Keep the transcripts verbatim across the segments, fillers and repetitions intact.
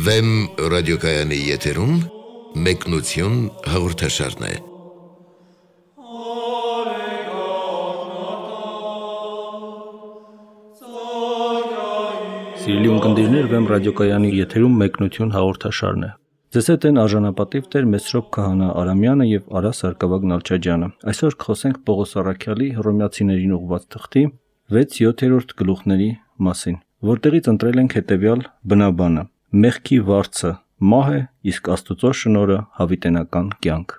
Վեմ ռադիոկայանի եթերում մեկնություն հաղորդաշարն է։ Սիրելի ունկնդիրներ, Վեմ ռադիոկայանի եթերում մեկնություն հաղորդաշարն է։ Ձեզ հետ են արժանապատիվ Տեր Մեսրոպ Քահանա Արամյանը եւ Արա Սարգսակ Նալչաջյանը։ Այսօր կխոսենք Պողոս Առաքյալի Հռոմեացիներին ուղղված թղթի վեց-յոթերորդ գլուխների մասին, որտեղից ընտրել ենք հետևյալ բնաբանը. մեղքի վարձը մահ է, իսկ Աստծո շնորհը հավիտենական կյանք։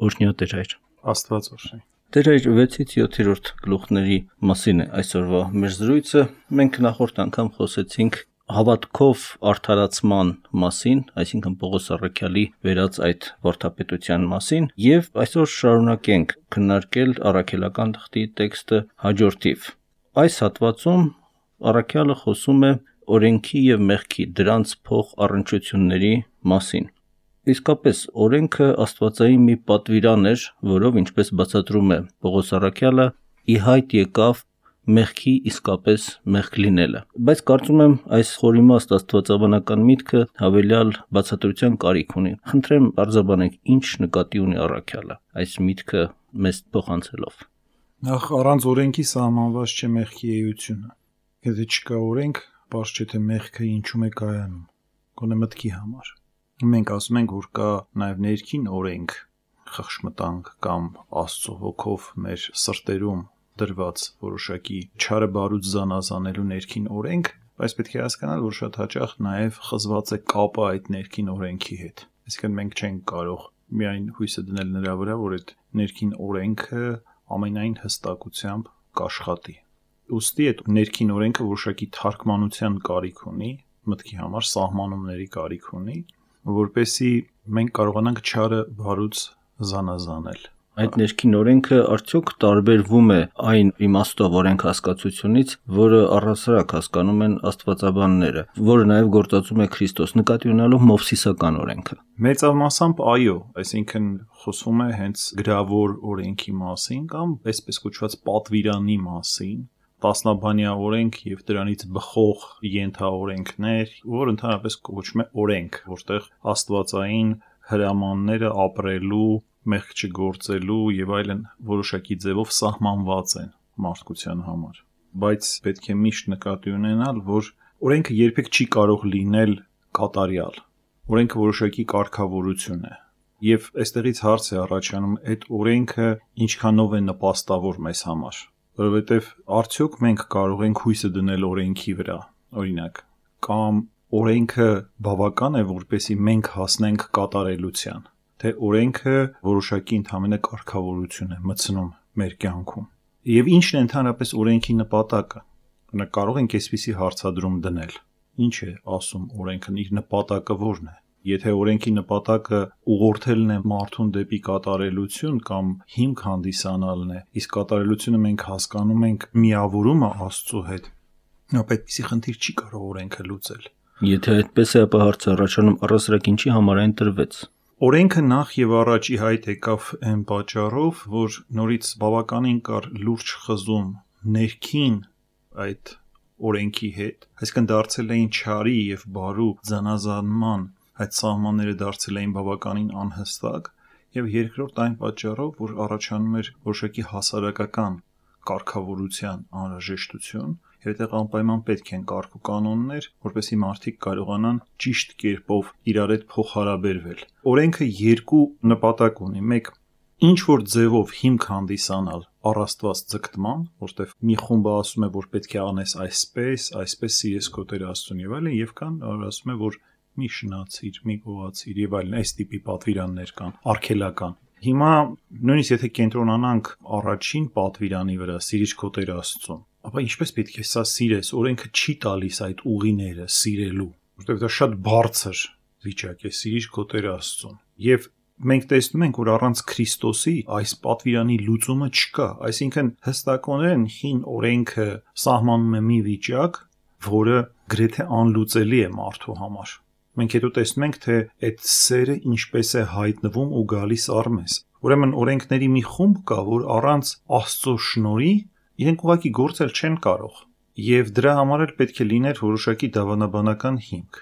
Օրհնյա Տեր Հայր։ Աստված օրհնի։ Տեր Հայր, վեցից յոթերորդ գլուխների մասին է այսօրվա մեր զրույցը։ Մենք նախորդ անգամ խոսեցինք հավատքով արդարացման մասին, այսինքն Պողոս Առաքյալի վերած այդ վարդապետության մասին, եւ այսօր շարունակենք քննարկել առաքելական թղթի տեքստը հաջորդիվ։ Այս հատվածում Առաքյալը խոսում է օրենքի եւ մեղքի դրանց փող առնչությունների մասին։ Իսկապես օրենքը աստվածային մի պատվիրան էր, որով, ինչպես բացատրում է Պողոս Առաքյալը, ի հայտ եկավ մեղքի իսկապես մեղք լինելը։ Բայց կարծում եմ այս խորիմաստ աստվածաբանական միտքը հավելյալ բացատրության կարիք ունի։ Խնդրեմ արձաբանեք, ինչ նկատի ունի Առաքյալը այս միտքը մեզ փոխանցելով։ Նախ առանց օրենքի սահմանված չէ մեղքի էությունը։ Եթե չկա օրենք, բաց չէ թե մեղքը ինչու է կայանում, գոնե մտքի համար։ Մենք ասում ենք, որ կա նաև ներքին օրենք, խղճմտանք կամ Աստծո հոգով մեր սրտերում դրված որոշակի չարը բարուց զանազանելու ներքին օրենք, բայց պետք է հասկանալ, որ շատ հաճախ նաև խզված է կապը այդ ներքին օրենքի հետ։ Այսինքն մենք չենք կարող միայն հույսը դնել նրա վրա, որ այդ ներքին օրենքը ամենայն հստակությամբ կաշխատի։ Ուստի այդ ներքին օրենքը որոշակի թարգմանության կարիք ունի, մտքի համար սահմանումների կարիք ունի, որպեսզի մենք կարողանանք չարը բարուց զանազանել։ Այդ ներքին օրենքը արդյոք տարբերվում է այն իմաստով օրենք հասկացությունից, որը առհասարակ հասկանում են աստվածաբանները, որը նաև գործածում է Քրիստոս, նկատի ունենալով Մովսիսական օրենքը։ Մեծամասամբ այո, այսինքն խոսվում է հենց գրավոր օրենքի մասին կամ այսպես կոչված պատվիրանի մասին, տասնաբանյա օրենք եւ դրանից բխող ենթաօրենքներ, որ ընդհանրապես կոչվում է օրենք, որտեղ աստվածային հրամանները ապրելու, մեղք չգործելու եւ այլն որոշակի ձևով սահմանված են մարդկության համար։ Բայց պետք է միշտ նկատի ունենալ, որ օրենքը երբեք չի կարող լինել կատարյալ։ Օրենքը որոշակի կարգավորություն է։ Եվ այստեղից հարց է առաջանում, այդ օրենքը ինչքանով է նպաստավոր մեզ համար։ Որովհետև արդյոք մենք կարող ենք հույսը դնել օրենքի վրա, օրինակ, կամ օրենքը բավական է, որպեսզի մենք հասնենք կատարելության, թե օրենքը որոշակի ընդհանրապես կարգավորություն է մտցնում մեր կյանքում։ Եվ ինչն է ընդհանրապես օրենքի նպատակը։ Օրինակ կարող ենք այսպիսի հարցադրում դնել. ինչ է ասում օրենքն, իր նպատակը ո՞րն է։ Եթե օրենքի նպատակը ուղղորդելն է մարդուն դեպի կատարելություն կամ հիմք հանդիսանալն է, իսկ կատարելությունը մենք հասկանում ենք միավորումը Աստծո հետ, ապա այդպիսի խնդիր չի կարող օրենքը լուծել։ Եթե այդպես է, ապա հարցը առաջանում առասարակ ինչի համար այն տրվեց։ Օրենքը նախ եւ առաջ ի հայտ եկավ այն պատճառով, որ նորից բավականին կար լուրջ խզում ներքին այդ օրենքի հետ, այսինքն դարձել էին չարի եւ բարու զանազանման այդ սահմանները դարձել էին բավականին անհստակ, եւ երկրորդ այն պատճառով, որ առաջանում էր որոշակի հասարակական կարգավորության անհրաժեշտություն, եւ այդտեղ անպայման պետք են կարգ ու կանոններ, որպեսզի մարդիկ կարողանան ճիշտ կերպով իրար հետ փոխհարաբերվել։ Օրենքը երկու նպատակ ունի. մեկ, ինչ որ ձևով հիմք հանդիսանալ առաստված ձգտման, որտեղ մի խումբը ասում է, որ պետք է անես այսպես, այսպես սիրես քո Տեր Աստծուն եւ այլն, եւ կան, որ ասում է, որ մի շնացիր, մի գողացիր եւ այլն, այս տիպի պատվիրաններ կան, արգելական։ Հիմա նույնիսկ եթե կենտրոնանանք առաջին պատվիրանի վրա, սիրիր քո Տեր Աստծուն, ապա ինչպես պետք է սա սիրես, օրենքը չի տալիս այդ ուղիները սիրելու, որտեղ դա շատ բարձր վիճակ է, սիրիր քո Տեր Աստծուն։ Եվ մենք տեսնում ենք, որ առանց Քրիստոսի այս պատվիրանի լուծումը չկա, այսինքն հստակորեն հին օրենքը սահմանում է մի վիճակ, որը գրեթե անլուծելի է մարդու համար։ Մենք հետո տեսնում ենք, թե այդ սերը ինչպես է հայտնվում ու գալիս առ մեզ։ Ուրեմն օրենքների մի խումբ կա, որ առանց Աստծո շնորհի իրենք ուղղակի գործել չեն կարող, եւ դրա համար էլ պետք է լիներ որոշակի դավանաբանական հիմք։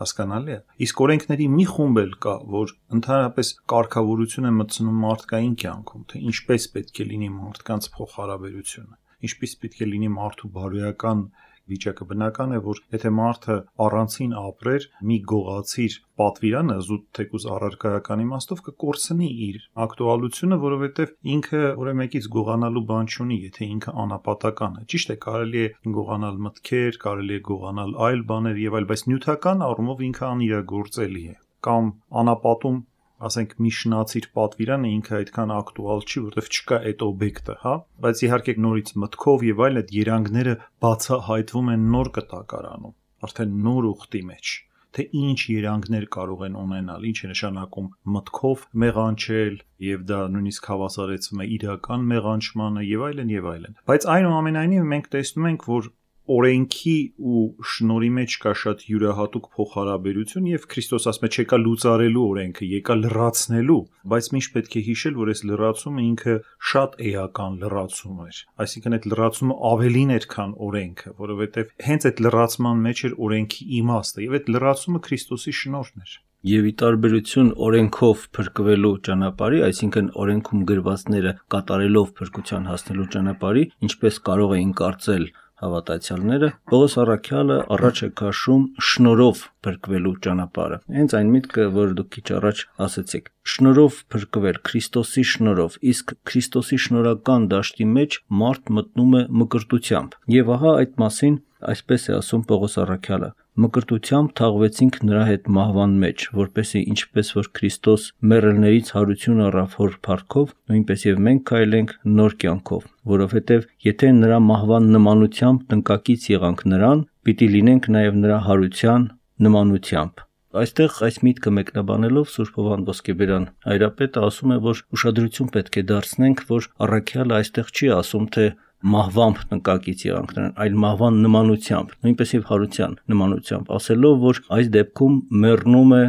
Հասկանալի է։ Իսկ օրենքների մի խումբ էլ կա, որ ընդհանրապես կարգավորություն է մտցնում մարդկային կյանքում, թե ինչպես պետք է լինի մարդկանց փոխհարաբերությունը, ինչպես պետք է լինի մարդու բարոյական վիճակը։ Բնական է, որ եթե մարդը առանցին ապրեր, մի գողացիր պատվիրանը զուտ թեկուզ առարկայական իմաստով կկորցնի իր ակտուալությունը, որովհետև ինքը որևէ մեկից գողանալու բան չունի, եթե ինքը անապատական է։ Ճիշտ է, կարելի է գողանալ մտքեր, կարելի է գողանալ այլ բաներ եւ այլ, բայց նյութական առումով ինքը անիրագործելի է։ Կամ անապատում ասենք մի շնացիր պատվիրանը ինքը այդքան ակտուալ չի, որովհետև չկա այդ օբյեկտը, հա, բայց իհարկե նորից մտքով եւ այլ այդ երանգները բացահայտվում են նոր կտակարանում, արդեն նոր ուխտի մեջ, թե ինչ երանգներ կարող են ունենալ, ինչ է նշանակում մտքով մեղանչել եւ դա նույնիսկ հավասարեցվում է իրական մեղանչմանը եւ այլն եւ այլն։ Բայց այնուամենայնիվ մենք տեսնում ենք, որ օրենքի ու շնորհի մեջ կա շատ յուրահատուկ փոխհարաբերություն եւ Քրիստոս ասում է չեկա լուծարելու օրենքը, եկա լրացնելու, բայց միշտ պետք է հիշել, որ այս լրացումը ինքը շատ էական լրացում էր, այսինքն այդ լրացումը ավելին էր, քան օրենքը, որովհետեւ հենց այդ լրացման մեջ էր օրենքի իմաստը եւ այդ լրացումը Քրիստոսի շնորհն էր։ Եվ ի տարբերություն օրենքով փրկվելու ճանապարհի, այսինքն օրենքում գրվածները կատարելով փրկության հասնելու ճանապարհի, ինչպես կարող էին կարծել հավատացյալները, Պողոս առաքյալը առաջ է քաշում շնորհով փրկվելու ճանապարհը։ Հենց այն միտքը, որ դուք քիչ առաջ ասացիք, շնորհով փրկվել, Քրիստոսի շնորհով, իսկ Քրիստոսի շնորհական դաշտի մեջ մարդ մտնում է մկրտությամբ։ Եվ ահա այդ մասին այսպես է ասում Պողոս առաքյալը. մկրտությամբ թաղվեցինք նրա հետ մահվան մեջ, որպեսզի ինչպես որ Քրիստոս մեռելներից հարություն առավ հոր փառքով, նույնպես եւ մենք քայլենք նոր կյանքով, որովհետեւ եթե նրա մահվան նմանությամբ տնկակից եղանք նրան, պիտի լինենք նաեւ նրա հարության նմանությամբ։ Այստեղ այս միտքը մեկնաբանելով Սուրբ Հովհան Ոսկեբերան հայրապետը ասում է, որ ուշադրություն պետք է դարձնենք, որ առաքյալը այստեղ չի ասում, թե մահվամբ տնկակից եղանք նրան, այլ մահվան նմանությամբ, նույնպես եւ հարության նմանությամբ, ասելով, որ այս դեպքում մեռնում է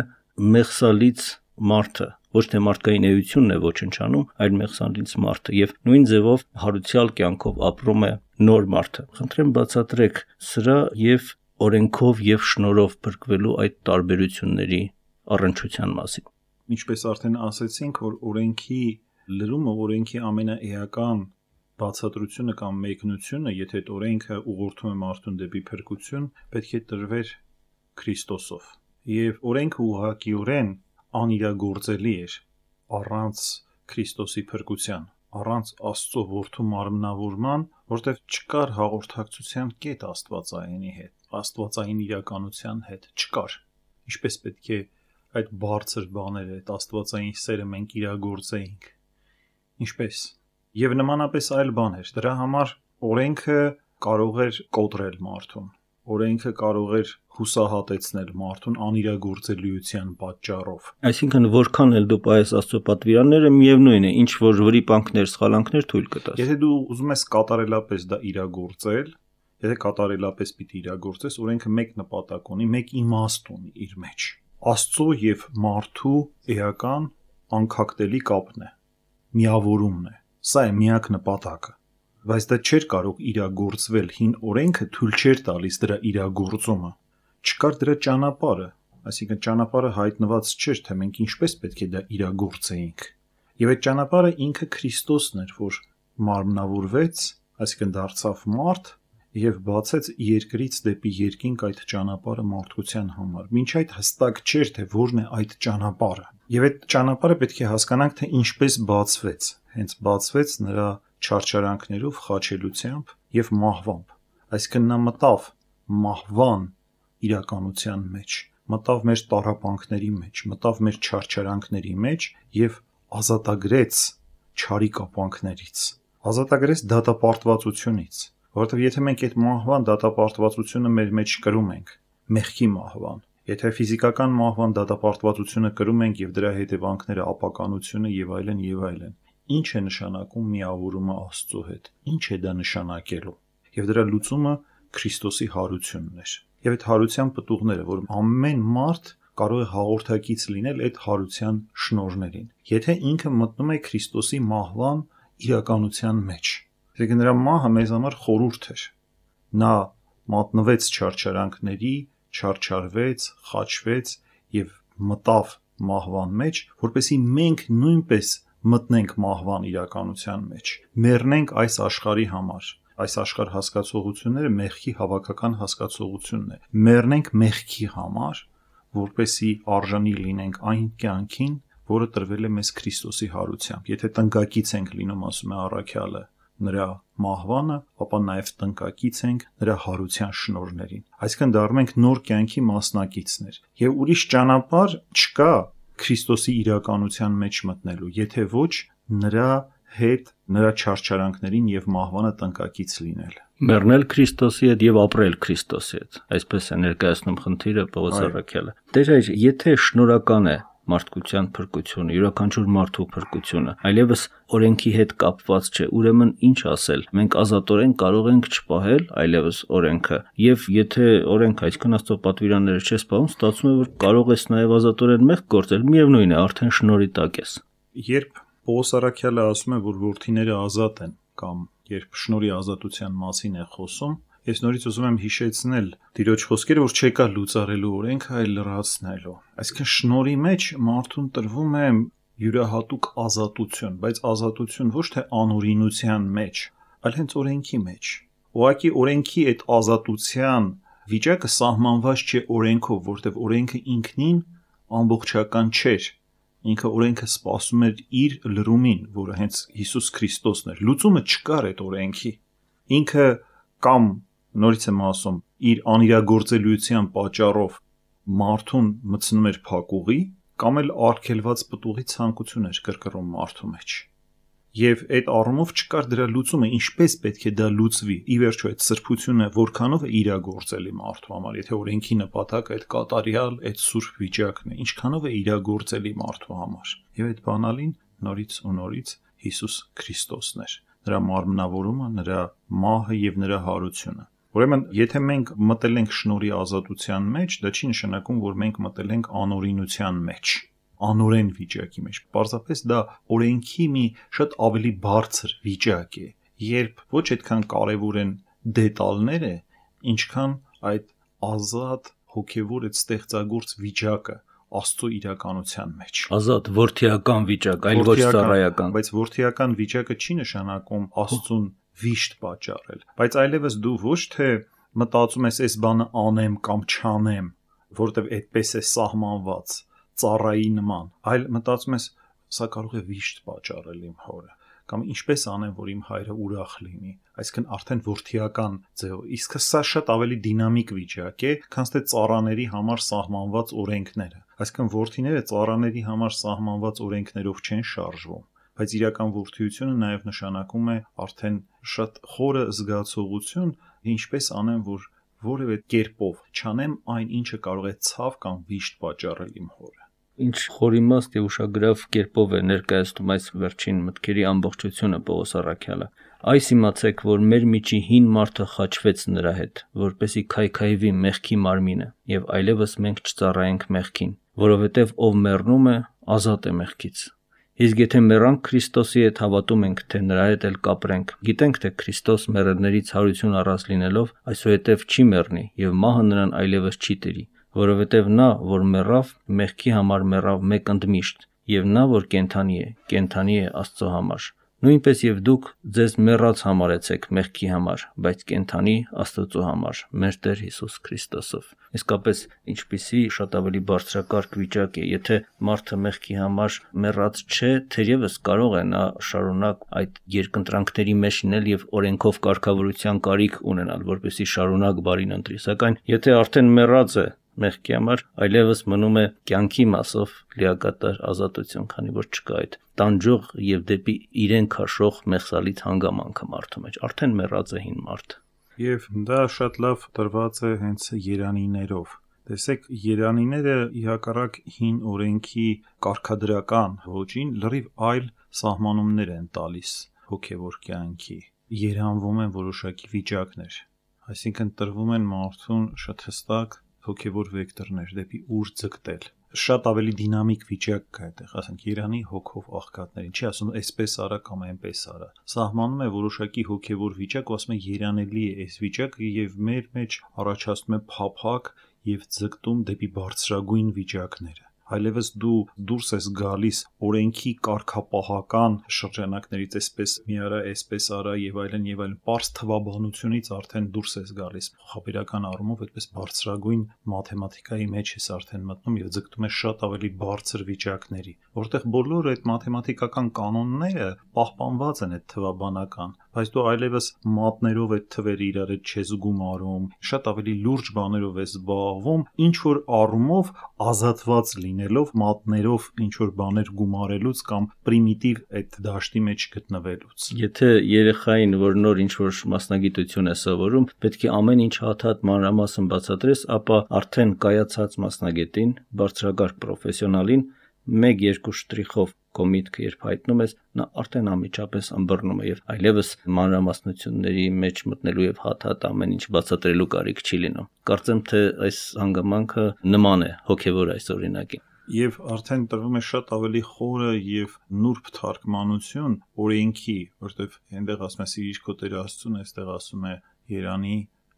մեղսալից մարդը, ոչ թե մարդկային էությունն է ոչնչանում, այլ մեղսալից մարդը եւ նույն ձևով հարության կյանքով ապրում է նոր մարդը։ Խնդրեմ բացատրեք սրա եւ օրենքով եւ շնորհով փրկվելու այդ տարբերությունների առնչության մասին։ Ինչպես արդեն ասացինք, որ օրենքի լրումը, օրենքի ամենաէական բացատրությունը կամ մեկնությունը, եթե այդ օրենքը ուղղորդում է մարդուն դեպի փրկություն, պետք է տրվեր Քրիստոսով։ Եվ օրենքը ուղղակիորեն անիրագործելի էր առանց Քրիստոսի փրկության, առանց Աստծո որդու մարմնավորման, որտեղ չկար հաղորդակցության կետ Աստվածայինի հետ, Աստվածային իրականության հետ չկար։ Ինչպես պետք է այդ բարձր բաները, այդ Աստվածային սերը մենք իրագործեինք։ Ինչպես Եվ նմանապես այլ բան էր։ Դրա համար օրենքը կարող էր կոտրել մարդուն։ Օրենքը կարող էր հուսահատեցնել մարդուն անիրագործելիության պատճառով։ Այսինքն որքան էլ դու պայես Աստծո պատվիրանները, միևնույն է, ինչ որ վրիպանքներ, սխալանքներ թույլ կտաս։ Եթե դու ուզում ես կատարելապես դա իրագործել, եթե կատարելապես պիտի իրագործես, օրենքը մեկ նպատակ ունի, մեկ իմաստ ունի իր մեջ։ Աստծո եւ մարդու էական անկախտելի կապն է, միավորումն է։ Սա է միակ նպատակը, բայց դա չէր կարող իրագործվել, հին օրենքը թույլ չէր տալիս դրա իրագործումը, չկար դրա ճանապարհը, այսինքն ճանապարհը հայտնված չէր, թե մենք ինչպես պետք է դա իրագործեինք։ Եվ այդ ճանապարհը ինքը Քրիստոսն էր, որ մարմնավորվեց, այսինքն դարձավ մարդ եւ բացեց երկրից դեպի երկինք այդ ճանապարհը մարդկության համար։ Մինչ այդ հստակ չէր, թե որն է այդ ճանապարհը։ Եվ այդ ճանապարհը պետք է հասկանանք, թե ինչպես բացվեց։ Հենց բացվեց նրա չարչարանքներով, խաչելությամբ եւ մահվամբ։ Այսինքն նա մտավ մահվան իրականության մեջ, մտավ մեր տառապանքների մեջ, մտավ մեր չարչարանքների մեջ եւ ազատագրեց չարի կապանքներից, ազատագրեց դատապարտվածությունից, որովհետեւ եթե մենք այդ մահվան դատապարտվածությունը մեր մեջ կրում ենք, մեղքի մահվան, եթե ֆիզիկական մահվան դատապարտվածությունը կրում ենք եւ դրա հետևանքները ապականությունը եւ այլն եւ այլն, ինչ է նշանակում միավորումը Աստծո հետ, ինչ է դա նշանակելու։ Եվ դրա լուծումը Քրիստոսի հարությունն էր։ Եվ այդ հարության պտուղները, որ ամեն մարդ կարող է հաղորդակից լինել այդ հարության շնորհներին, եթե ինքը մտնում է Քրիստոսի մահվան իրականության մեջ։ Այսինքն նրա մահը մեզ համար խորհուրդ էր։ Նա մատնվեց չարչարանքների, չարչարվեց, խաչվեց եւ մտավ մահվան մեջ, որպեսզի մենք նույնպես մտնենք մահվան իրականության մեջ, մեռնենք այս աշխարհի համար։ Այս աշխարհ հասկացողությունները մեղքի հավաքական հասկացողությունն է։ Մեռնենք մեղքի համար, որպեսզի արժանի լինենք այն կյանքին, որը տրվել է մեզ Քրիստոսի հարությամբ։ Եթե տնկակից ենք լինում, ասում է առաքյալը, նրա մահվանը, ապա նաև տնկակից ենք նրա հարության շնորհներին։ Այսինքն դառնում ենք նոր կյանքի մասնակիցներ։ Եվ ուրիշ ճանապարհ չկա Քրիստոսի իրականության մեջ մտնելու, եթե ոչ նրա հետ, նրա չարչարանքներին եւ մահվանը տնկակից լինել։ Մեռնել Քրիստոսի հետ եւ ապրել Քրիստոսի հետ։ Այսպես է ներկայացնում խնդիրը Պողոս առաքյալը։ Տեր հայր, եթե շնորհական է մարդկության փրկությունը, յուրաքանչյուր մարդու փրկությունը, այլևս օրենքի հետ կապված չէ, ուրեմն ինչ ասել։ Մենք ազատորեն կարող ենք չպահել այլևս օրենքը, եւ եթե օրենքը այսքան աստծո պատվիրանները չես պահում, ստացվում է, որ կարող ես նաեւ ազատորեն մեղք գործել, միևնույն է, արդեն շնորհի տակ ես։ Երբ Պողոս առաքյալը ասում է, որ որդիները ազատ են, կամ երբ շնորհի ազատության մասին է խոսում, ես նորից ուզում եմ հիշեցնել Տիրոջ խոսքերը, որ չեկա լուծարելու օրենքը, այլ լրացնելու։ Այսինքն շնորհի մեջ մարդուն տրվում է յուրահատուկ ազատություն, բայց ազատություն ոչ թե անօրինության մեջ, այլ հենց օրենքի մեջ։ Ուղղակի օրենքի այդ ազատության վիճակը սահմանված չէ օրենքով, որտեղ օրենքը ինքնին ամբողջական չէր։ Ինքը օրենքը սպասում էր իր լրումին, որը հենց Հիսուս Քրիստոսն էր։ Լուծումը չկար այդ օրենքի։ Ինքը կամ նորից եմ ասում, իր անիրագործելիության պատճառով մարդուն մտցնում էր փակուղի, կամ էլ արգելված պտուղի ցանկություն էր կրկռում մարդու մեջ։ Եվ այդ առումով չկար դրա լուծումը, ինչպես պետք է դա լուծվի։ Ի վերջո այդ սրբությունը որքանով է իրագործելի մարդու համար, եթե օրենքի նպատակը այդ կատարյալ, այդ սուրբ վիճակն է, ինչքանով է իրագործելի մարդու համար։ Եվ այդ բանալին նորից ու նորից Հիսուս Քրիստոսն էր, նրա մարմնավորումը, նրա մահը եւ նրա հարությունը։ Ուրեմն, եթե մենք մտել ենք շնորհի ազատության մեջ, դա չի նշանակում, որ մենք մտել ենք անօրինության մեջ, անօրեն վիճակի մեջ։ Պարզապես դա օրենքի մի շատ ավելի բարձր վիճակ է, երբ ոչ այդքան կարևոր են դետալները, ինչքան այդ ազատ հոգևոր այդ ստեղծագործ վիճակը Աստծո իրականության մեջ։ Ազատ որդիական վիճակ, այլ ոչ ծառայական։ Բայց որդիական վիճակը չի նշանակում Աստծուն վիշտ պատճառել, բայց այլևս դու ոչ թե մտածում ես այս բանը անեմ կամ չանեմ, որտեվ այդպես է սահմանված ծառայի նման, այլ մտածում ես սա կարող է վիշտ պատճառել իմ հորը, կամ ինչպես անեմ, որ իմ հայրը ուրախ լինի, այսինքն արդեն որդիական ձևով։ Իսկ սա շատ ավելի դինամիկ վիճակ է, քան թե ծառաների համար սահմանված օրենքները։ Այսինքն որդիները ծառաների համար սահմանված օրենքներով չեն շարժվում, բայց իրական որդիությունը նաև նշանակում է արդեն շատ խորը զգացողություն, ինչպես անեմ, որ որևէ կերպով չանեմ այն, ինչը կարող է ցավ կամ վիշտ պատճառել իմ հորը։ Ինչ խորիմաստ եւ ուշագրավ կերպով է ներկայացնում այս վերջին մտքերի ամբողջությունը Պողոս առաքյալը։ Այս իմացեք, որ մեր միջի հին մարդը խաչվեց նրա հետ, որպեսի քայքայվի մեղքի մարմինը, եւ այլևս մենք չծառայենք մեղքին, որովհետեւ ով մեռնում է, ազատ է մեղքից։ Իսկ եթե մեռանք Քրիստոսի հետ, հավատում ենք, թե նրա հետ էլ կապրենք։ Գիտենք, թե Քրիստոս մեռելներից հարություն առած լինելով, այսուհետև չի մեռնի, եւ մահը նրան այլևս չի տիրի, որովհետև նա, որ մեռավ, մեղքի համար մեռավ մեկ ընդմիշտ, եւ նա, որ կենդանի է, կենդանի է Աստծո համար։ Նույնպես եւ դուք ձեզ մեռած համարեցեք մեղքի համար, բայց կենդանի Աստծո համար, մեր Տեր Հիսուս Քրիստոսով։ Իսկապես ինչպիսի շատ ավելի բարձրակարգ վիճակ է, եթե մարդը մեղքի համար մեռած չէ, թերևս կարող է նա շարունակ այդ երկընտրանքների մեջ լինել եւ օրենքով կարգավորության կարիք ունենալ, որպեսզի շարունակ բարին ընտրի, սակայն եթե արդեն մեռած է մեղքի համար, այլևս մնում է կյանքի մասով լիակատար ազատություն, քանի որ չկա այդ տանջող եւ դեպի իրեն քաշող մեղսալից հանգամանքը մարդու մեջ, արդեն մեռած է հին մարդ։ Եվ դա շատ լավ տրված է հենց երանիներով։ Տեսեք, երանիները իհակառակ հին օրենքի կարգադրական ոճին լրիվ այլ սահմանումներ են տալիս հոգևոր կյանքի։ Երանվում են որոշակի վիճակներ, այսինքն տրվում են մարդուն շատ հստակ հոգևոր վեկտորներ դեպի ուր ձգտել։ Շատ ավելի դինամիկ վիճակ կա այդտեղ, ասենք Երանի հոգով աղքատներին, չի ասում այսպես արա կամ այնպես արա։ Սահմանում է որոշակի հոգևոր վիճակ, ու ասում է երանելի է այս վիճակը եւ մեր մեջ առաջացնում է փափակ եւ ձգտում դեպի բարձրագույն վիճակները։ Այլևս դու դուրս ես գալիս օրենքի կարգապահական շրջանակներից, այսպես մի արա, այսպես արա եւ այլն եւ այլն, པարզ թվաբանությունից արդեն դուրս ես գալիս, խաբերական առումով այդպես բարձրագույն մաթեմատիկայի մեջ ես արդեն մտնում եւ ձգտում ես շատ ավելի բարձր վիճակների, որտեղ բոլոր այդ մաթեմատիկական կանոնները պահպանված են այդ թվաբանական, բայց դու այլևս մատներով այդ թվերը իրար հետ չես գումարում, շատ ավելի լուրջ բաներով ես զբաղվում, ինչ որ առումով ազատված լինելով մատներով ինչ որ բաներ գումարելուց կամ պրիմիտիվ այդ դաշտի մեջ գտնվելուց։ Եթե երեխային, որ նոր ինչ որ մասնագիտություն է սովորում, պետք է ամեն ինչ հատ-հատ մանրամասն բացատրես, ապա արդեն կայացած մասնագետին, բարձրագարկ պրոֆեսիոնալին մեկ երկու շտրիխով քո միտքը երբ հայտնում ես, նա արդեն անմիջապես ըմբռնում է եւ այլևս մանրամասնությունների մեջ մտնելու եւ հատ-հատ ամեն ինչ բացատրելու կարիք չի լինում։ Կարծեմ թե այս հանգամանքը նման է հոգեվոր այս օրինակին։ Եվ արդեն տրվում է շատ ավելի խորը եւ նուրբ թարգմանություն օրենքի, որտեվ այնտեղ ասում է սիրիչ քո Տեր Աստծուն, այստեղ ասում է Երանի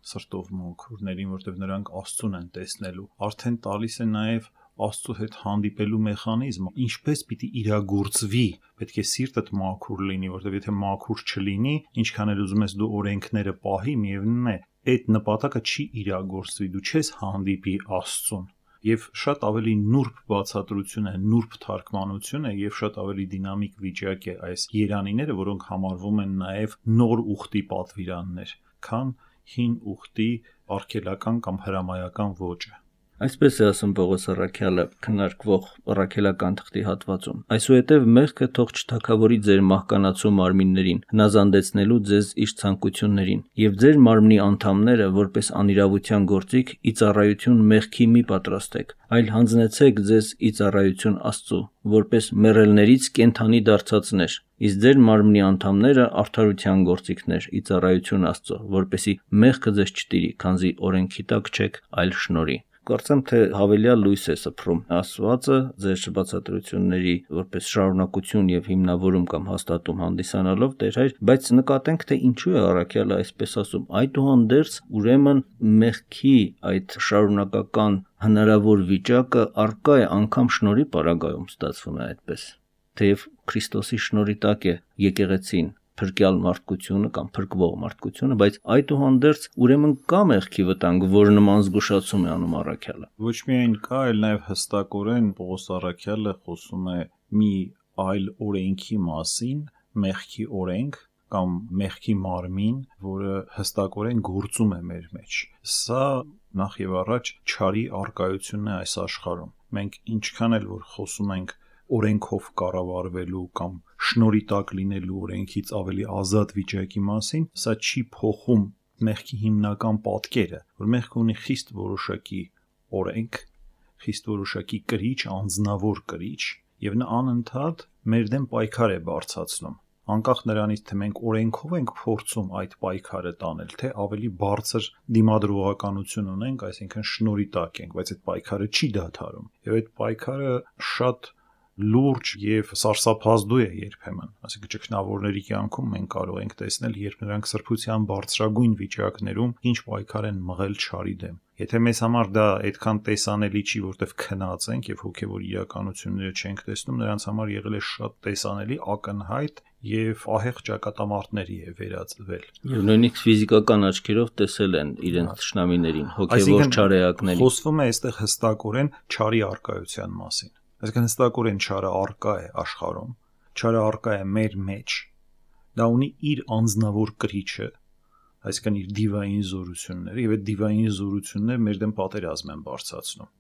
սրտով մոնքուրներին, որտեվ նրանք Աստծուն են տեսնելու։ Արդեն տալիս է նաեւ Աստծո հետ հանդիպելու մեխանիզմը, ինչպես պիտի իրագործվի, պետք է սիրտդ մաքուր լինի, որտեվ եթե մաքուր չլինի, ինչքան էլ ուզում ես դու օրենքները պահի, միևնույն է, այդ նպատակը չի իրագործվի, դու չես հանդիպի Աստծուն։ Եվ շատ ավելի նուրբ բացատրություն է, նուրբ թարգմանություն է եւ շատ ավելի դինամիկ վիճակ է այս երանիները, որոնք համարվում են նաեւ նոր ուխտի պատվիրաններ, քան հին ուխտի արգելական կամ հրամայական ոճը։ Այսպես է ասում Պողոս առաքյալը քննարկվող առաքելական թղթի հատվածում. Այսուհետև մեղքը թող չթագավորի ձեր մահկանացու մարմիններին, հնազանդեցնելու ձեզ իր ցանկություններին, եւ ձեր մարմնի անդամները, որպես անիրավության գործիք, ի ծառայություն մեղքի մի պատրաստեք, այլ հանձնեցեք ձեզ ի ծառայություն Աստծու, որպես մեռելներից կենդանի դարձածներ, իսկ ձեր մարմնի անդամները արդարության գործիքներ, ի ծառայություն Աստծու, որպեսի մեղքը ձեզ չտիրի, քանզի օրենքի տակ չեք, այլ շնորհի։ Կարծեմ թե հավելյալ լույս է սփռում ասվածը ձեր բացատրությունների որպես շարունակություն եւ հիմնավորում կամ հաստատում հանդիսանալով Տեր հայր, բայց նկատենք թե ինչու է առաքյալը այսպես ասում, այդուհանդերձ ուրեմն մեղքի այդ շարունակական հնարավոր վիճակը առկա է անգամ շնորհի պարագայում, ստացվում է այդպես, թեև Քրիստոսի շնորհի տակ է եկեղեցին փրկյալ մարդկությունը կամ փրկվող մարդկությունը, բայց այդուհանդերձ ուրեմն կա մեղքի վտանգ, որ նման զգուշացում է անում առաքյալը։ Ոչ միայն կա, այլ նաև հստակորեն Պողոս առաքյալը խոսում է մի այլ օրենքի մասին, մեղքի օրենք կամ մեղքի մարմին, որը հստակորեն գործում է մեր մեջ։ Սա նախ եւ առաջ չարի արկայությունն է այս աշխարհում։ Մենք ինչքան էլ որ խոսում ենք օրենքով կառավարվելու կամ շնորհի տակ լինելու օրենքից ավելի ազատ վիճակի մասին, սա չի փոխում մեղքի հիմնական պատկերը, որ մեղքը ունի խիստ որոշակի օրենք, խիստ որոշակի կրիչ, անձնավոր կրիչ, եւ նա անընդհատ մեր դեմ պայքար է բարձրացնում։ Անկախ նրանից, թե մենք օրենքով ենք փորձում այդ պայքարը տանել, թե ավելի բարձր դիմադրողականություն ունենք, այսինքն շնորհի տակ ենք, բայց այդ պայքարը չի դադարում։ Եվ այդ պայքարը շատ լուրջ եւ սարսափազդու է երբեմն, այսինքն ճգնավորների կյանքում մենք կարող ենք տեսնել, երբ նրանք սրբության բարձրագույն վիճակներում ինչ պայքար են մղել չարի դեմ։ Եթե մեզ համար դա այդքան տեսանելի չի, որտեվ քնած ենք եւ հոգեվոր իրականությունները չենք տեսնում, նրանց համար եղել է շատ տեսանելի, ակնհայտ եւ ահեղ ճակատամարտների է վերածվել։ Եվ նույնիսկ ֆիզիկական աչքերով տեսել են իրենց թշնամիներին, հոգեվոր չարեակներին։ Խոսվում է այստեղ հստակորեն չարի արկայության մասին։ Այսինքն հստակորեն չարը արկա է աշխարհում, չարը արկա է մեր մեջ, դա ունի իր անձնավոր կրիչը, այսինքն իր դիվային զորությունները, եւ այդ դիվային զորությունները մեր դեմ պատերազմ են բարձրացնում։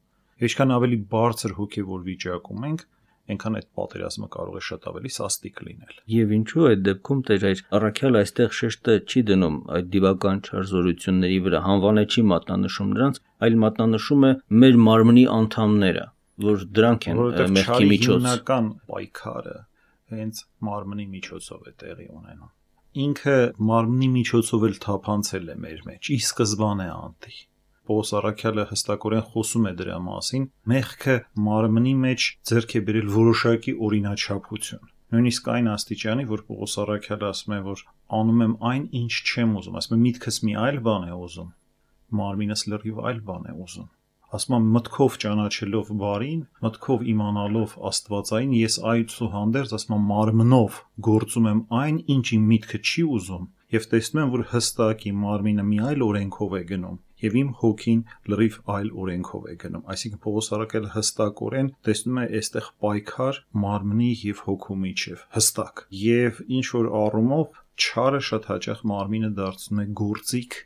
Ինչքան ավելի բարձր հոգեվոր վիճակում ենք, այնքան այդ պատերազմը կարող է շատ ավելի սաստիկ լինել։ Եվ ինչու այդ դեպքում Տեր հայր առաքյալը այստեղ շեշտը չի դնում այդ դիվական չար զորությունների վրա, հանվանը չի մատնանշում նրանց, այլ մատնանշում է մեր մարմնի անդամները, որ դրանք են մեղքի միջոց։ Հիմնական պայքարը հենց մարմնի միջոցով է տեղի ունենում։ Ինքը մարմնի միջոցով էլ թափանցել է մեր մեջ, ի սկզբանե անտի։ Պողոս առաքյալը հստակորեն խոսում է դրա մասին, մեղքը մարմնի մեջ ձեռք է բերել որոշակի օրինաչափություն։ Նույնիսկ այն աստիճանի, որ Պողոս առաքյալը ասում է, որ անում եմ այն, ինչ չեմ ուզում, ասում է միտքս մի այլ բան է ուզում, մարմինս լրիվ այլ բան է ուզում։ ասում եմ մտքով ճանաչելով բարին, մտքով իմանալով Աստվածային, ես այցուհանդերձ ասում եմ մարմնով գործում եմ այն, ինչ իմ միտքը չի ուզում, եւ տեսնում եմ, որ հստակ իմ մարմինը մի այլ օրենքով է գնում, եւ իմ հոգին լրիվ այլ օրենքով է գնում։ Այսինքն Պողոս առաքյալը հստակորեն տեսնում է այստեղ պայքար մարմնի եւ հոգու միջև, հստակ։ Եվ ինչ որ առումով չարը շատ հաճախ մարմինը դարձնում է գործիք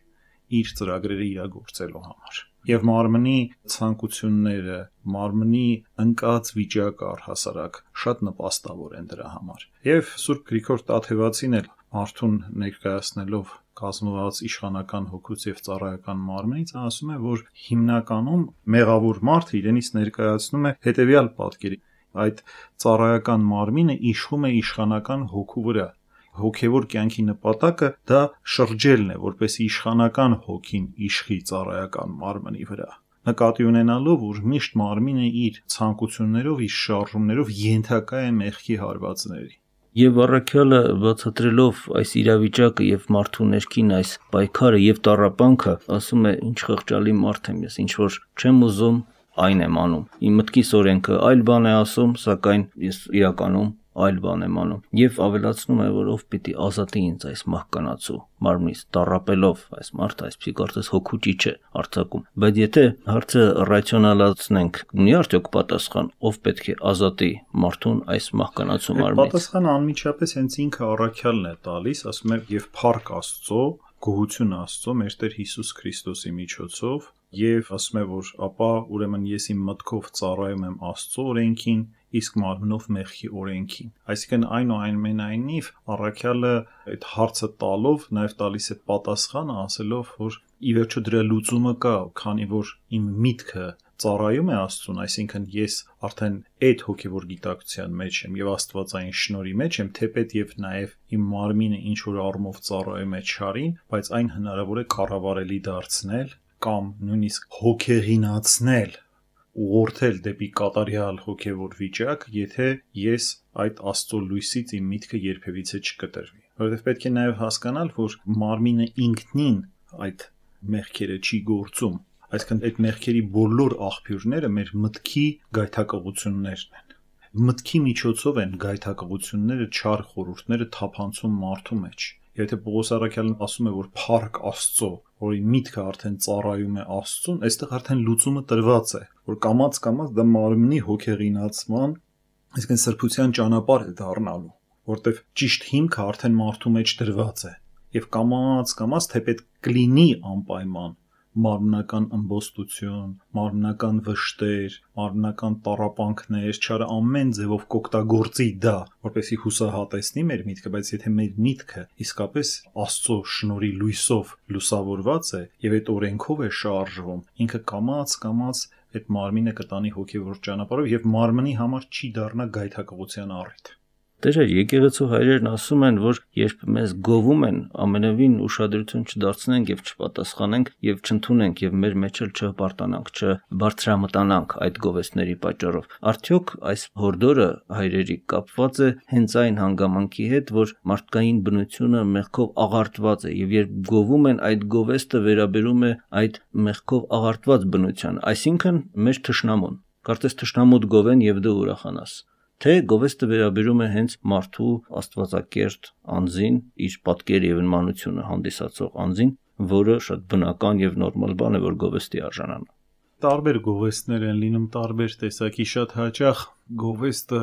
իր ծրագրերը իրագործելու համար։ Եվ մարմնի ցանկությունները, մարմնի ընկած վիճակը առհասարակ շատ նպաստավոր են դրա համար։ Եվ Սուրբ Գրիգոր Տաթևացին էլ մարդուն ներկայացնելով կազմված իշխանական հոգուց եւ ծառայական մարմնից ասում է, որ հիմնականում մեղավոր մարդը իրենից ներկայացնում է հետեւյալ պատկերի. այդ ծառայական մարմինը իշխում է իշխանական հոգու վրա։ Հոգևոր կյանքի նպատակը դա շրջելն է, որպես իշխանական հոգին իշխի ծառայական մարմնի վրա։ Նկատի ունենալով, որ միշտ մարմինը իր ցանկություններով, իր շարժումներով ենթակա է մեղքի հարվածների։ Եվ առաքյալը բացատրելով այս իրավիճակը եւ մարդու ներքին այս պայքարը եւ տառապանքը, ասում է, ինչ խղճալի մարդ եմ ես, ինչ որ չեմ ուզում, այն եմ անում։ Իմ մտքիս օրենքը այլ բան է ասում, սակայն ես իրականում այլ բան եմ անում։ Եվ ավելացնում է, որ ով պիտի ազատի ինձ այս մահկանացու մարմնից, տառապելով այս մարդը, այսպիսի կարծես հոգու ճիչ է արձակում։ Բայց եթե հարցը ռացիոնալացնենք, ունի արդյոք պատասխան, ով պետք է ազատի մարդուն այս մահկանացու մարմնից։ Պատասխանը անմիջապես հենց ինքը առաքյալն է տալիս, ասում է, եւ փառք Աստծո, գոհություն Աստծո, մեր Տեր Հիսուս Քրիստոսի միջոցով, եւ ասում է, որ ապա ուրեմն ես իմ մտքով ծառայում եմ Աստծո օրենքին, իսկ մարմնով մեղքի օրենքին։ Այսինքն այնուամենայնիվ առաքյալը այդ հարցը տալով նաև տալիս է պատասխանը, ասելով, որ ի վերջո դրա լուծումը կա, քանի որ իմ միտքը ծառայում է Աստծուն, այսինքն ես արդեն այդ հոգևոր գիտակցության մեջ եմ եւ Աստվածային շնորհի մեջ եմ, թեպետ եւ նաև իմ մարմինը ինչ որ առումով ծառայում է չարին, բայց այն հնարավոր է կառավարելի դարձնել կամ նույնիսկ հոգեղինացնել, ուղղորդել դեպի կատարյալ հոգևոր վիճակ, եթե ես այդ Աստծո լույսից իմ միտքը երբևիցե չկտրվի։ Որովհետև պետք է նաև հասկանալ, որ մարմինը ինքնին այդ մեղքերը չի գործում, այսինքն այդ մեղքերի բոլոր աղբյուրները մեր մտքի գայթակղություններն են։ Մտքի միջոցով են գայթակղությունները, չար խորհուրդները թափանցում մարդու մեջ։ Եթե Պողոս առաքյալն ասում է, որ փառք Աստծո, որի միտքը արդեն ծառայում է Աստծուն, այստեղ արդեն լուծումը տրված է, որ կամաց-կամաց դա մարմնի հոգեղինացման, այսինքն սրբության ճանապարհ է դառնալու, որտեղ ճիշտ հիմքը արդեն մարդու մեջ դրված է, եւ կամաց-կամաց թեպետ կլինի անպայման մարմնական ըմբոստություն, մարմնական վշտեր, մարմնական տառապանքներ, չարը ամեն ձևով կօգտագործի դա, որպեսզի հուսահատեսնի մեր միտքը, բայց եթե մեր միտքը իսկապես Աստծո շնորհի լույսով լուսավորված է եւ այդ օրենքով է շարժվում, ինքը կամաց-կամաց այդ մարմինը կտանի հոգևոր ճանապարհով եւ մարմնի համար չի դառնա գայթակղության առիթ։ Տերը եկեղեցու հայրերն ասում են, որ երբ մեզ գովում են, ամենևին ուշադրություն չդարձնենք եւ չպատասխանենք եւ չընդունենք եւ մեր մեջ էլ չհպարտանանք, չբարձրամտանանք այդ գովեստների պատճառով։ Արդյոք այս հորդորը հայրերի կապված է հենց այն հանգամանքի հետ, որ մարդկային բնությունը մեղքով աղարտված է եւ երբ գովում են, այդ գովեստը վերաբերում է այդ մեղքով աղարտված բնության, այսինքն մեր թշնամուն։ Կարծես թշնամուդ գովեն եւ դու ուրախանաս։ Թե գովեստը վերաբերում է հենց մարդու աստվածակերտ անձին, իր պատկեր եւ նմանությունը հանդիսացող անձին, որը շատ բնական եւ նորմալ բան է, որ գովեստի արժանանա։ Տարբեր գովեստներ են լինում, տարբեր տեսակի, շատ հաճախ գովեստը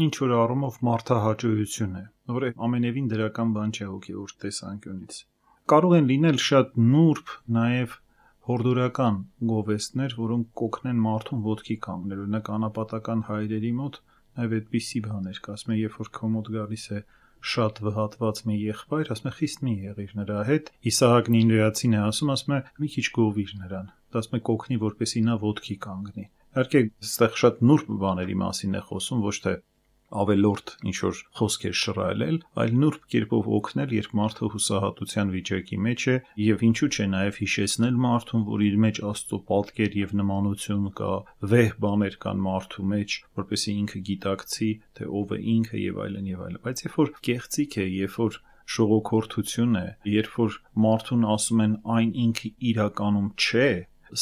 ինչ որ առումով մարդահաճույություն է, որը ամենևին դրական բան չէ հոգևոր տեսանկյունից։ Կարող են լինել շատ նուրբ, նաեւ հորդորական գովեստներ, որոնք կօգնեն մարդուն ոտքի կանգնել, օրինակ անապատական հայրերի մոտ Այո, այդպիսի բաներ կա, ասում է, երբ որ քո մոտ գալիս է շատ վհատված մի եղբայր, ասում է, խիստ մի եղիր նրա հետ։ Իսահակ Նինվեացին է ասում, ասում է, մի քիչ գովիր նրան։ Դա ասում է, կօգնի, որպեսզի նա ոտքի կանգնի։ Իհարկե, այստեղ շատ նուրբ բաների մասին է խոսում, ոչ թե ավելորդ ինչ որ խոսքեր շռայլել, այլ նուրբ կերպով օգնել, երբ մարդը հուսահատության վիճակի մեջ է, եւ ինչու՞ չէ նաեւ հիշեցնել մարդուն, որ իր մեջ Աստծո պատկեր եւ նմանություն կա, վեհ բաներ կան մարդու մեջ, որպեսզի ինքը գիտակցի, թե ով է ինքը եւ այլն եւ այլն։ Բայց երբ որ կեղծիք է, երբ որ շողոքորթություն է, երբ որ մարդուն ասում են այն ինքը իրականում չէ,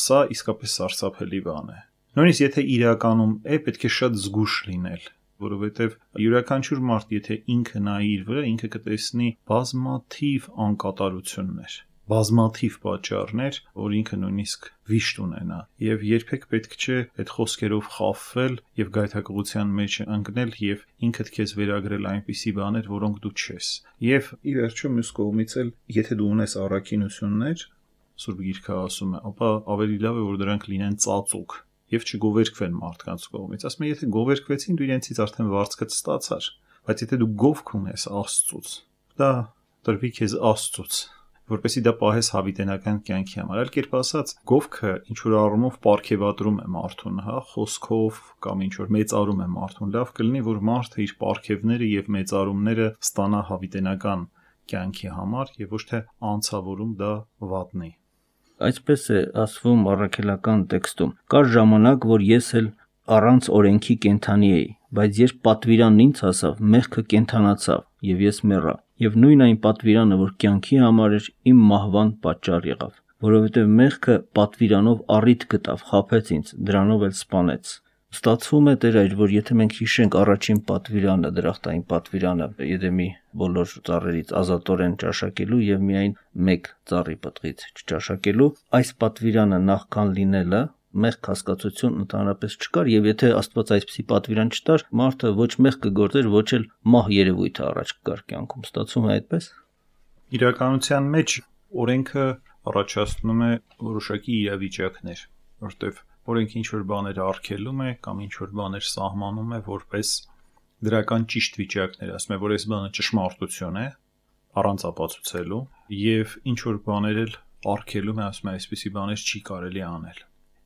Սա իսկապես սարսափելի բան է։ Նույնիսկ եթե իրականում է, պետք է շատ զգուշ լինել, որովհետև յուրաքանչյուր մարդ, եթե ինքը նայի իր վրա, ինքը կտեսնի բազմաթիվ անկատարություններ, բազմաթիվ պատճառներ, որ ինքը նույնիսկ վիշտ ունենա, եւ երբեք պետք չէ այդ խոսքերով խաբվել եւ գայթակղության մեջ ընկնել եւ ինքդ քեզ վերագրել այնպիսի բաներ, որոնք դու չես։ Եվ ի վերջո մյուս կողմից էլ, եթե դու ունես առաքինություններ, Սուրբ Գիրքը ասում է, ապա ավելի լավ է, որ դրանք լինեն ծածուկ եւ չգովերքվեն մարդկանց կողմից։ Ասում է, եթե գովերքվեցին, դու իրենցից արդեն վարձկդ ստացար, բայց եթե դու գովք ունես Աստծուց, դա տրվի քեզ Աստծուց, որպեսզի դա պահես հավիտենական կյանքի համար։ Այլ կերպ ասած, գովքը ինչ որ առումով պարգևատրում է մարդուն, հա, խոսքով կամ ինչ որ մեծարում է մարդուն։ Լավ կլինի, որ մարդը իր պարգևները եւ մեծարումները ստանա հավիտենական կյանքի համար եւ ոչ թե անցավորում դա վատնի։ Այսպես է ասվում առաքելական տեքստում. Կար ժամանակ, որ ես էլ առանց օրենքի կենդանի էի, բայց երբ պատվիրանն ինձ հասավ, մեղքը կենդանացավ, եւ ես մեռա, եւ նույն այն պատվիրանը, որ կյանքի համար էր, իմ մահվան պատճառ եղավ, որովհետեւ մեղքը պատվիրանով առիթ գտավ, խաբեց ինձ, դրանով էլ սպանեց։ Ստացվում է Տեր այր, որ եթե մենք հիշենք առաջին պատվիրանը, դրախտային պատվիրանը, Եդեմի բոլոր ծառերից ազատորեն ճաշակելու եւ միայն մեկ ծառի պտղից չճաշակելու, այս պատվիրանը նախքան լինելը մեղք հասկացություն ընդհանրապես չկար, եւ եթե Աստված այսպիսի պատվիրան չտար, մարդը ոչ մեղք կգործեր, ոչ էլ մահ երևույթը առաջ կգար կյանքում։ Ստացվում է այդպես։ Իրականության մեջ օրենքը առաջացնում է որոշակի իրավիճակներ, որտեղ օրենքը ինչ որ բաներ արգելում է կամ ինչ որ բաներ սահմանում է որպես դրական ճիշտ վիճակներ, ասում է, որ այս բանը ճշմարտություն է, առանց ապացուցելու, եւ ինչ որ բաներ էլ արգելում է, ասում է, այսպիսի բաներ չի կարելի անել։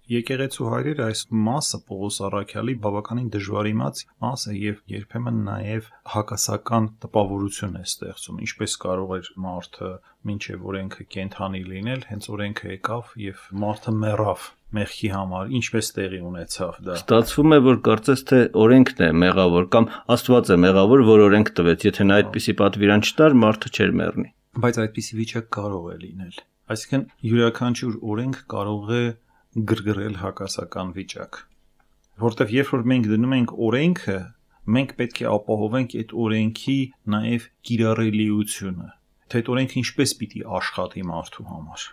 Եկեղեցու հայրերը այս մասը Պողոս առաքյալի բավականին դժվար իմաց մաս է եւ երբեմն նաեւ հակասական տպավորություն է ստեղծում, ինչպես կարող էր մարդը մինչեւ օրենքը կենդանի լինել, հենց օրենքը եկավ եւ մարդը մեռավ մեղքի համար, ինչպես տեղի ունեցավ դա։ Ստացվում է, որ կարծես թե օրենքն է մեղավոր կամ Աստված է մեղավոր, որ օրենք տվեց, եթե նա այդպիսի պատվիրան չտար, մարդը չէր մեռնի։ Բայց այդպիսի վիճակ կարող է լինել։ Այսինքն յուրաքանչյուր օրենք կարող է գրգռել հակասական վիճակ, որտեվ երբ որ մենք դնում ենք օրենքը, մենք պետք է ապահովենք այդ օրենքի նաև կիրառելիությունը, թե այդ օրենքը ինչպես պիտի աշխատի մարդու համար։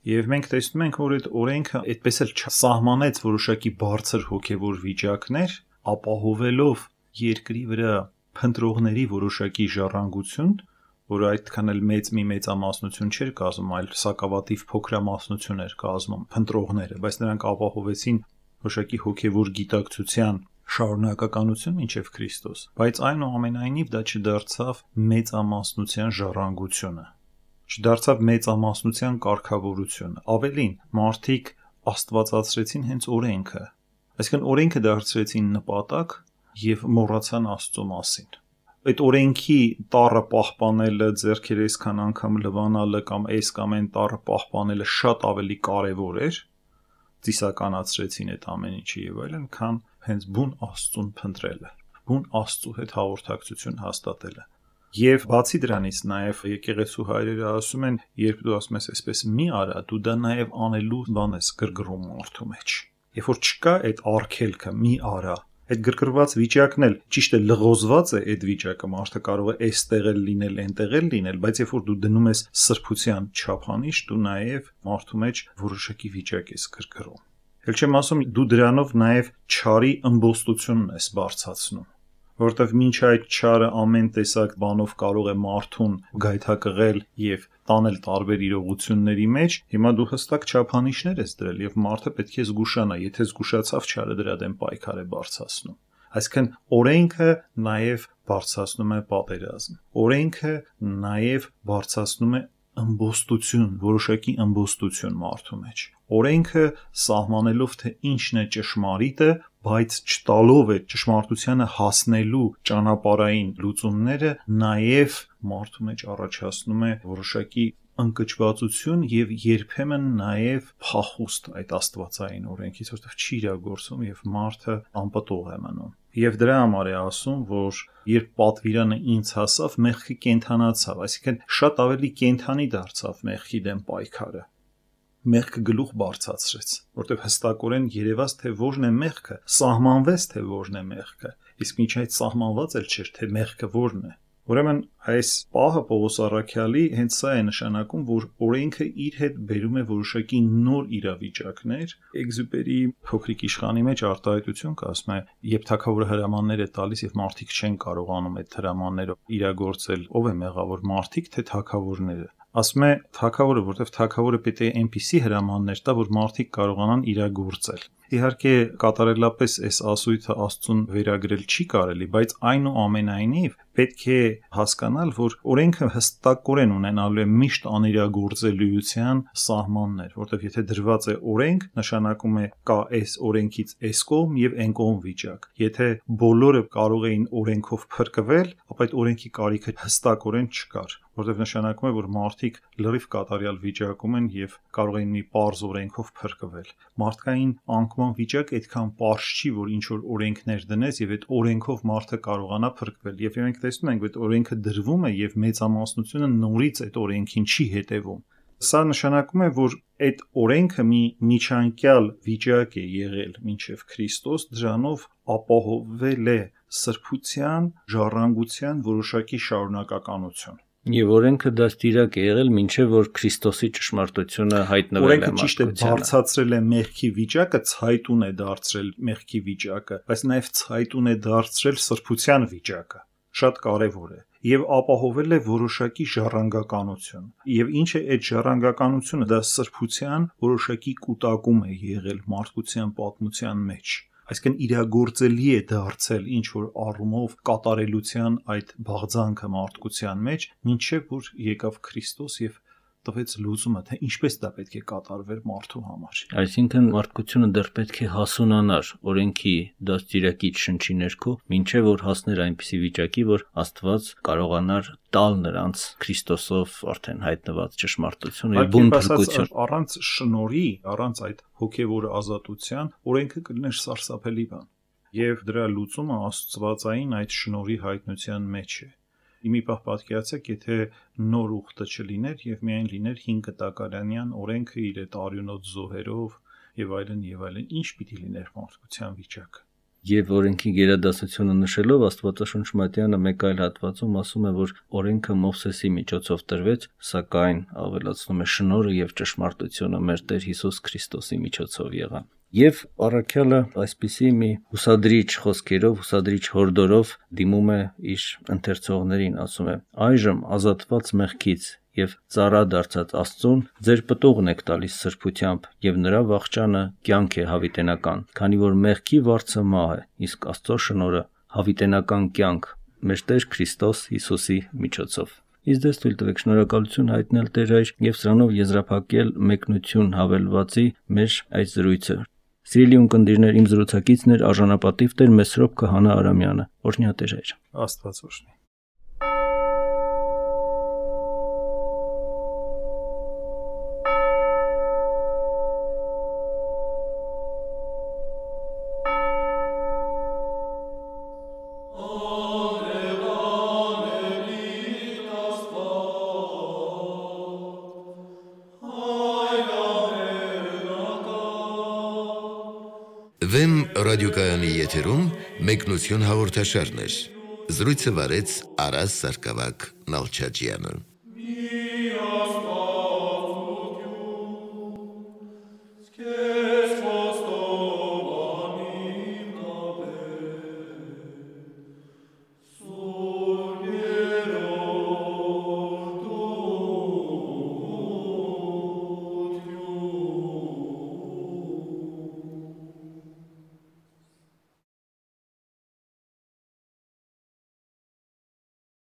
Եվ մենք տեսնում ենք, որ այդ օրենքը այդպես էլ չսահմանեց որոշակի բարձր հոգևոր վիճակներ, ապահովելով երկրի վրա փնտրողների որոշակի ժառանգություն, որ այդքան էլ մեծ մի մեծամասնություն չէր կազմում, այլ սակավատիվ փոքրամասնություն էր կազմում փնտրողները, բայց նրանք ապահովեցին որոշակի հոգևոր գիտակցության շարունակականություն մինչև Քրիստոս, բայց այնուամենայնիվ դա չդարձավ մեծամասնության ժառանգությունը, չդարձավ մեծամասնության կարգավորությունը, ավելին, մարդիկ աստվածացրեցին հենց օրենքը, այսինքն օրենքը դարձրեցին նպատակ եւ մոռացան Աստծո մասին։ Այդ օրենքի տառը պահպանելը, ձեռքերը այսքան անգամ լվանալը կամ այս կամ այն տառը պահպանելը շատ ավելի կարևոր էր, ծիսականացրեցին այդ ամեն ինչը եւ այլն, քան հենց բուն Աստծուն փնտրելը, բուն Աստծու հետ հաղորդակցություն հաստատելը։ Եվ բացի դրանից նաեւ եկեղեցու հայրերը ասում են, երբ դու ասում ես այսպես մի արա, դու դա նաեւ անելու բան ես գրգռում մարդու մեջ։ Երբ որ չկա այդ արգելքը մի արա, այդ գրգռված վիճակն էլ ճիշտ է լղոզված է այդ վիճակը, մարդը կարող է այստեղ էլ լինել, այնտեղ էլ լինել, բայց երբ որ դու դնում ես սրբության չափանիշ, դու նաև մարդու մեջ որոշակի վիճակ ես գրգռում։ Էլ չեմ ասում, դու դրանով նաև չարի ըմբոստությունն ես բարձրացնում, որովհետև մինչ այդ չարը ամեն տեսակ բանով կարող է մարդուն գայթակղել եւ տանել տարբեր իրողությունների մեջ, հիմա դու հստակ չափանիշներ ես դրել եւ մարդը պետք է զգուշանա, եթե զգուշացավ չարը դրա դեմ պայքար է բարձրացնում։ Այսինքն օրենքը նաեւ բարձրացնում է պատերազմ։ Օրենքը նաեւ բարձրացնում է ըմբոստություն, որոշակի ըմբոստություն մարդու մեջ։ Օրենքը սահմանելով թե ինչն է ճշմարիտը, բայց չտալով է ճշմարտությանը հասնելու ճանապարհային լուծումները, նաև մարդու մեջ առաջացնում է որոշակի ընկճվածություն եւ երբեմն նաև փախուստ այդ աստվածային օրենքից, որովհետեւ չի իրագործում եւ մարդը անպտուղ է մնում։ Եվ դրա համար է ասում, որ երբ պատվիրանը ինձ հասավ, մեղքը կենդանացավ, այսինքն շատ ավելի կենդանի դարձավ մեղքի դեմ պայքարը։ մեղքը գլուխ բարձրացրեց, որտեղ հստակորեն երևաց թե որն է մեղքը, սահմանվեց թե որն է մեղքը, իսկ միջ այդ սահմանված էլ չէր թե մեղքը որն է։ Ուրեմն այս պահը Պողոս առաքյալի հենց սա է նշանակում, որ օրենքը իր հետ բերում է որոշակի նոր իրավիճակներ։ Էգզյուպերի փոքրիկ իշխանի մեջ արտահայտություն կա, ասում է, երբ թագավորը հրամաններ է տալիս եւ մարդիկ չեն կարողանում այդ հրամանները իրագործել, ով է մեղավոր, մարդիկ թե թագավորները։ Ասում է թագավորը, որտեվ թագավորը պետք է այնպիսի հրամաններ տա, որ մարդիկ կարողանան իրագործել։ Իհարկե կատարելապես այս ասույթը Աստծուն վերագրել չի կարելի, բայց այնուամենայնիվ պետք է հասկանալ, որ օրենքը հստակորեն ունենալու է միշտ անիրագործելիության սահմաններ, որտեղ եթե դրված է օրենք, նշանակում է կա այս օրենքից այս կողմ եւ այն կողմ վիճակ։ Եթե բոլորը կարող էին օրենքով փրկվել, ապա այդ օրենքի կարիքը հստակորեն չկար, որտեղ նշանակում է, որ մարդիկ լրիվ կատարյալ վիճակում են եւ կարող են մի պարզ օրենքով փրկվել։ Մարդկային անկման վիճակ այդքան պարզ չի, որ ինչ որ օրենքներ դնես եւ այդ օրենքով մարդը կարողանա փրկվել։ Եվ մենք տեսնում ենք, որ օրենքը դրվում է եւ մեծամասնությունը նորից այդ օրենքին չի հետևում։ Սա նշանակում է, որ այդ օրենքը մի միջանկյալ վիճակ է եղել մինչև Քրիստոս, դրանով ապահովվել է սրբության, ժառանգության որոշակի շարունակականություն։ Եվ օրենքը դաստիարակ է եղել մինչև որ Քրիստոսի ճշմարտությունը հայտնվել է մարդկությանը։ Օրենքը ճիշտ է բարձրացրել է մեղքի վիճակը, ցայտուն է դարձրել մեղքի վիճակը, բայց նաև ցայտուն է դարձրել սրբության վիճակը։ Շատ կարևոր է եւ ապահովել է որոշակի ժառանգականություն։ Եվ ինչ է այդ ժառանգականությունը, դա սրբության որոշակի կուտակում է եղել մարդկության պատմության մեջ։ Այսինքն իրագործելի է դարձել ինչ որ առումով կատարելության այդ բաղձանքը մարդկության մեջ, մինչև որ եկավ Քրիստոս եւ տվեց լուծումը, թե ինչպես դա պետք է կատարվեր մարդու համար։ Այսինքն մարդկությունը դեռ պետք է հասունանար օրենքի դաստիարակիչ շնչի ներքո, մինչև որ հասներ այնպիսի վիճակի, որ Աստված կարողանար տալ նրանց Քրիստոսով արդեն հայտնված ճշմարտություն եւ բուն փրկություն։ Առանց շնորհի, առանց այդ հոգեվոր ազատության օրենքը կլիներ սարսափելի բան։ Եվ դրա լուծումը աստվածային այդ շնորհի հայտնության մեջ է։ Իմի պահ պատկերացեք, եթե նոր ուխտը չլիներ եւ միայն լիներ հին կտակարանյան օրենքը իր այդ արյունոտ զոհերով եւ այլն եւ այլն, ինչ պիտի լիներ մարդկության վիճակը։ Եվ օրենքի գերադասությունը նշելով Աստվածաշունչ Մատթեանը մեկ այլ հատվածում ասում է, որ օրենքը Մովսեսի միջոցով տրվեց, սակայն ավելացնում է շնորհը եւ ճշմարտությունը մեր Տեր Հիսուս Քրիստոսի միջոցով եղան։ Եվ առաքյալը այսպիսի մի հուսադրիչ խոսքերով, հուսադրիչ հորդորով դիմում է իր ընթերցողներին, ասում է. այժմ ազատված մեղքից եւ ծառա դարձած Աստծուն ձեր պտուղն եք տալիս սրբությամբ եւ նրա վախճանը կյանք է հավիտենական, քանի որ մեղքի վարձը մահ է, իսկ Աստծո շնորհը հավիտենական կյանք մեր Տեր Քրիստոս Հիսուսի միջոցով։ Իսկ դες թույլ տվեք շնորհակալություն հայտնել Տեր Հայր եւ սրանով եզրափակել մեկնություն հավելվածի մեր այս զրույցը։ Սիրելի ունկնդիրներ, իմ զրուցակիցն էր արժանապատիվ Տեր Մեսրոպ Քահանա Արամյանը։ Օրհնյա Տեր Հայր։ Աստված օրհնի։ Վեմ ռադիոկայանի եթերում մեկնություն հաղորդաշարներ։ Զրույցը վարեց Արաս Սարգսակյան Նալչաջյանը։